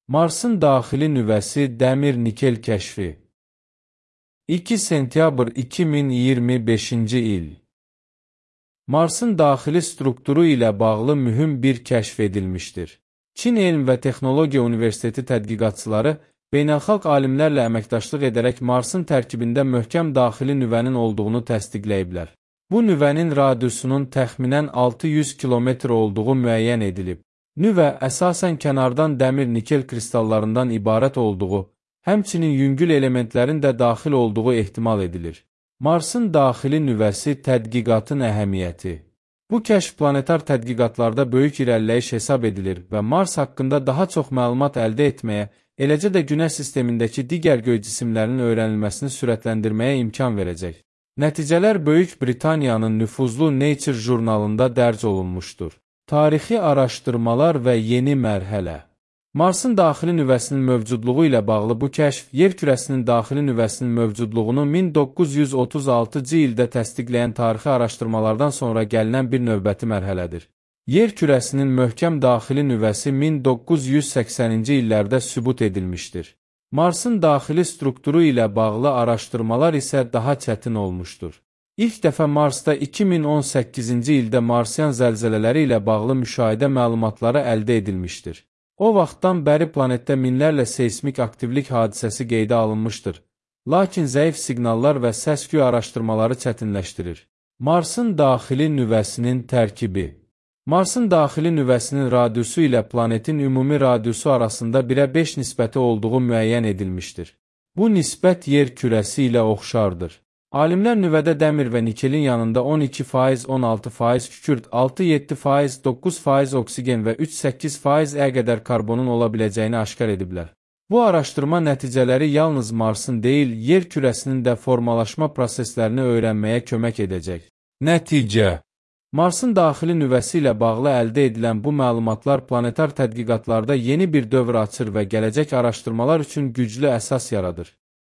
Marsın daxili nüvəsi dəmir-nikel kəşfi. 2 sentyabr 2025-ci il. Marsın daxili strukturu ilə bağlı mühüm bir kəşf edilmişdir. Çin Elm və Texnologiya Universiteti tədqiqatçıları beynəlxalq alimlərlə əməkdaşlıq edərək Marsın tərkibində möhkəm daxili nüvənin olduğunu təsdiqləyiblər. Bu nüvənin radiusunun təxminən 600 kilometr olduğu müəyyən edilib. Nüvə əsasən kənardan dəmir-nikel kristallarından ibarət olduğu, həmçinin yüngül elementlərin də daxil olduğu ehtimal edilir. Marsın daxili nüvəsi tədqiqatın əhəmiyyəti. Bu kəşf planetar tədqiqatlarda böyük irəliləyiş hesab edilir və Mars haqqında daha çox məlumat əldə etməyə, eləcə də Günəş sistemindəki digər göy cisimlərinin öyrənilməsini sürətləndirməyə imkan verəcək. Nəticələr Böyük Britaniyanın nüfuzlu Nature jurnalında dərc olunmuşdur. Tarixi araşdırmalar və yeni mərhələ. Marsın daxili nüvəsinin mövcudluğu ilə bağlı bu kəşf, yer kürəsinin daxili nüvəsinin mövcudluğunu 1936-cı ildə təsdiqləyən tarixi araşdırmalardan sonra gəlinən bir növbəti mərhələdir. Yer kürəsinin möhkəm daxili nüvəsi 1980-ci illərdə sübut edilmişdir. Marsın daxili strukturu ilə bağlı araşdırmalar isə daha çətin olmuşdur. İlk dəfə Marsda 2018-ci ildə Marsian zəlzələləri ilə bağlı müşahidə məlumatları əldə edilmişdir. O vaxtdan bəri planetdə minlərlə seismik aktivlik hadisəsi qeydə alınmışdır, lakin zəif siqnallar və səs-küy araşdırmaları çətinləşdirir. Marsın daxili nüvəsinin tərkibi. Marsın daxili nüvəsinin radiusu ilə planetin ümumi radiusu arasında 1-ə 5 nisbəti olduğu müəyyən edilmişdir. Bu nisbət yer kürəsi ilə oxşardır. Alimlər nüvədə dəmir və nikelin yanında 12%, 16% kükürt, 6-7%, 9% oksigen və 3-8% qədər karbonun ola biləcəyini aşkar ediblər. Bu araşdırma nəticələri yalnız Marsın deyil, yer kürəsinin də formalaşma proseslərini öyrənməyə kömək edəcək. Nəticə. Marsın daxili nüvəsi ilə bağlı əldə edilən bu məlumatlar planetar tədqiqatlarda yeni bir dövr açır və gələcək araşdırmalar üçün güclü əsas yaradır.